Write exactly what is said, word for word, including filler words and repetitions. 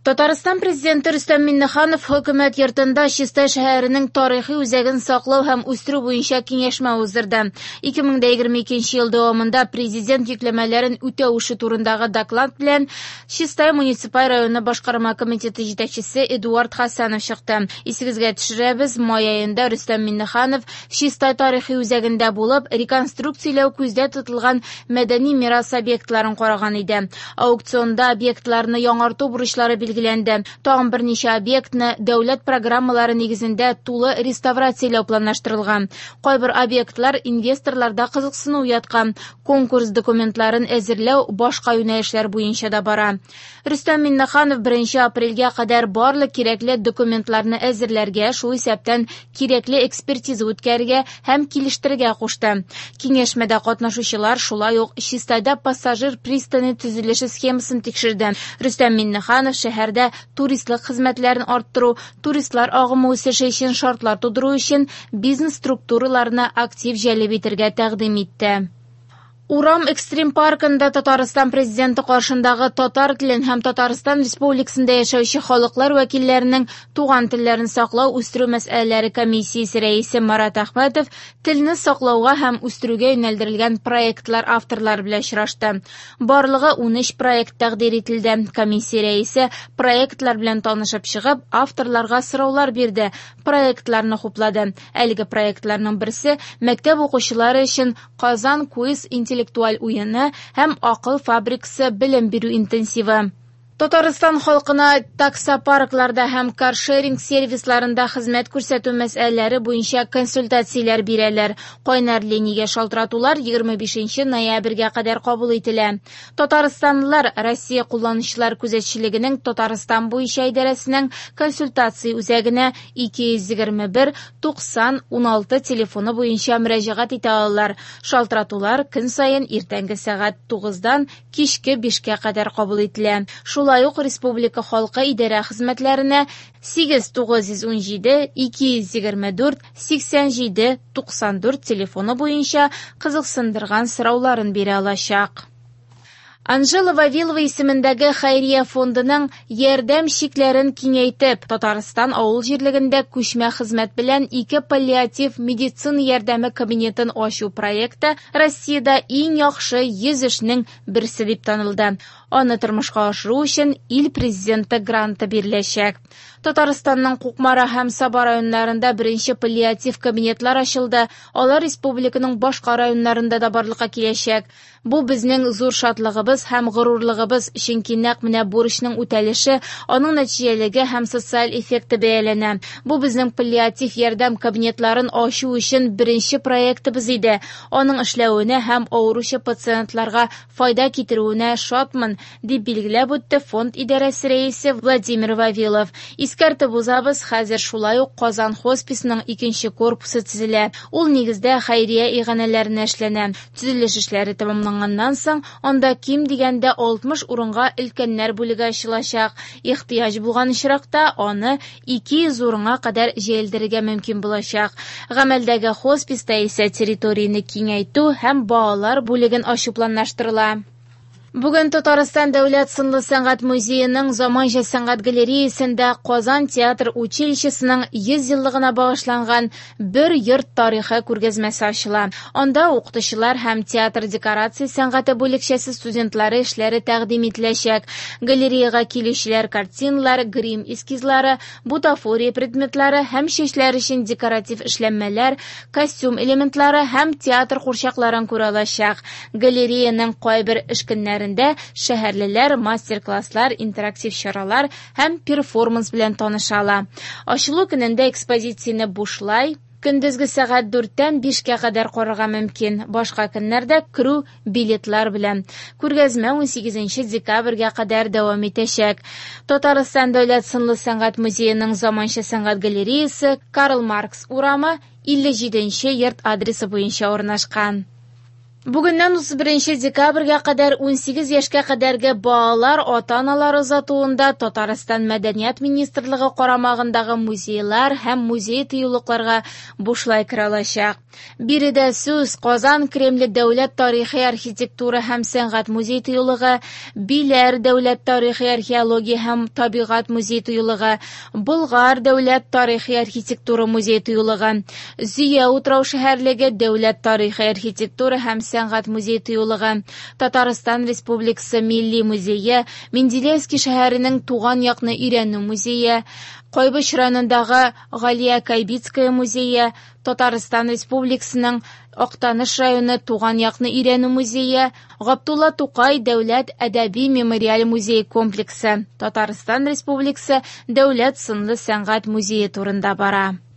Татарстан Президенты Рөстәм Миңнеханов Хөкүмәт йортында Чистай шәһәренең тарихи үзәген саклау һәм үстерү буенча киңәшмә уздырды. ике мең егерме икенче ел дәвамында президент йөкләмәләрен үтәү эше турындагы доклад белән Чистай муниципаль районы башкарма комитеты җитәкчесе Эдуард Хасанов чыкты. Исегезгә төшерәбез, май аенда Рөстәм Миңнеханов Чистай тарихи үзәгендә булып, реконструкцияләү күздә тотылган мәдәни мирас объектларын караган иде. Аукционда объектларны яңарту бурычлары билгеләнде. Тагын берничә объектны дәүләт программалары нигезендә тулы реставрацияләү планлаштырылган. Кайбер объектлар инвесторларда кызыксыну уяткан. Конкурс документларын әзерләү башка юнәлешләр буенча да бара. Рөстәм Миңнеханов беренче апрельгә кадәр барлык кирәкле документларны әзерләргә, шул исәптән кирәкле экспертиза үткәрергә һәм килештерергә кушты. Киңәшмәдә катнашучылар шулай ук Чистайда пассажир пристане төзелеше схемасын тикшерде. Рөстәм Миңнеханов шәһәрдә туристлык хезмәтләрен арттыру, туристлар агымы үсеше өчен шартлар тудыру өчен бизнес структураларны актив җәлеп итәргә тәкъдим итте. Урам экстрим паркында Татарстан президенты каршындагы татар телен һәм Татарстан Республикасында яшәүче халыклар вәкилләренең туган телләрен саклау үстерү мәсьәләләре комиссиясе рәисе Марат Әхмәтов телне саклауга һәм үстерүгә юнәлдерелгән проектлар авторлары белән очрашты. Барлыгы унөч проект тәкъдир ителде. Комиссия рәисе проектлар белән танышып чыгып, авторларга сораулар бирде, проектларны хуплады. Әлеге проектларның берсе мәктәп укучылары өчен Казан квиз интеллектуаль уены һәм акыл фабрикасы белем бирү интенсивы. Татарстан халкына таксопаркларда һәм каршеринг сервисларында хезмәт күрсәтү мәсьәләләре буенча консультацияләр бирәләр. Кайнар линиягә шалтыратулар егерме бишенче ноябрьгә кадәр кабул ителә. Татарстанлылар Россия кулланучылар күзәтчелегенең Татарстан буенча идарәсенең консультация үзәгенә ике йөз егерме бер туксан уналты телефоны буенча мөрәҗәгать итә алалар. Шалтыратулар көн саен иртәнге сәгать тугыздан кичке бишкә кадәр кабул ителә. Шулай ук республика халкы идарә хезмәтләренә сигез тугыз йөз ун җиде ике йөз егерме дүрт сиксән җиде туксан дүрт телефоны буенча кызыксындырган сорауларын бирә алачак. Анжела Вавилова исемендәге хәйрия фондының ярдәм чикләрен киңәйтеп, Татарстан авыл җирлегендә күчмә хезмәт белән ике паллиатив медицина ярдәме кабинетын ачу проекты Россиядә иң яхшы йөз эшнең берсе дип танылды. Аны тормышка ашыру өчен ил президенты гранты биреләчәк. Татарстанның Кукмара һәм Саба районнарында беренче паллиатив кабинетлар ачылды. Алар республиканың башка районнарында да барлыкка киләчәк. Бу безнең зур шатлыгыбыз һәм горурлыгыбыз, чөнки нәкъ менә бурычның үтәлеше, аның нәтиҗәлеге һәм социаль эффекты бәяләнә. Бу безнең паллиатив ярдәм кабинетларын ачу өчен беренче проектыбыз иде. Аның эшләвенә һәм авыручы пациентларга файда китерүенә шатмын, дип билгеләп үтте фонд идарәсе рәисе Владимир Вавилов. Искәртеп узабыз, хәзер шулай ук Казан хосписының икенче корпусы төзелә. Ул нигездә хәйрия иганәләренә эшләнә. Төзелеш эшләре тәмамланганнан соң анда ким дигәндә алтмыш урынга өлкәннәр бүлеге ачылачак. Ихтыяҗ булган очракта аны ике йөз урынга кадәр җәелдерергә мөмкин булачак. Гамәлдәге хосписта исә территорияне киңәйтү һәм балалар бүлеген ачу планлаштырыла. Бүген Татарстан дәүләт сынлы сәнгать музееның заманча сәнгать галереясында Казан театр училищесының йөз еллыгына багышланган бер йорт тарихы күргәзмәсе ачыла. Анда укытучылар һәм театр декорация сәнгате бүлекчәсе студентлары эшләре тәкъдим ителәчәк. Галереяга килүчеләр картиналар, грим эскизлары, бутафория предметлары һәм чәчләр өчен декоратив эшләнмәләр, костюм элементлары һәм театр курчакларын күрә алачак. Галереяның кайбер эш көннәрендә шәһәрлеләр мастер-класслар, интерактив чаралар һәм перформанс белән таныша ала. Ачылу көнендә экспозицияне бушлай көндезге сәгать дүрттән бишкә кадәр карарга мөмкин. Башка көннәрдә керү билетлар белән. Күргәзмә унсигезенче декабрьгә кадәр дәвам итәчәк. Татарстан дәүләт сынлы сәнгать музееның заманча сәнгать галереясы Карл Маркс урамы илле җиденче йорт адресы буенча урнашкан. Бүгеннән утыз беренче декабрьгә кадәр унсигез яшькә кадәрге балалар ата-аналар озатуында Татарстан Мәдәният министрлыгы карамагындагы музейлар һәм музей-тыюлыкларга бушлай керә алачак. Биредә сүз Казан Кремле дәүләт тарихи архитектура һәм сәнгать музей-тыюлыгы, Биләр дәүләт тарихи археология һәм табигать музей-тыюлыгы, Болгар дәүләт тарихи архитектура музей-тыюлыгы, Зөя утрау шәһәрлеге дәүләт тарихи архитектура һәм сәнгать музей-тыюлыгы, Татарстан Республикасы Милли музее, Менделеевский шәһәренең туган якны өйрәнү музее, Кайбыч районындагы Галия Кайбицкая музее, Татарстан Республикасының Актаныш районы туган якны өйрәнү музее, Габдулла Тукай дәүләт әдәби мемориаль музей комплексы, Татарстан Республикасы дәүләт сынлы сәнгать музее турында бара.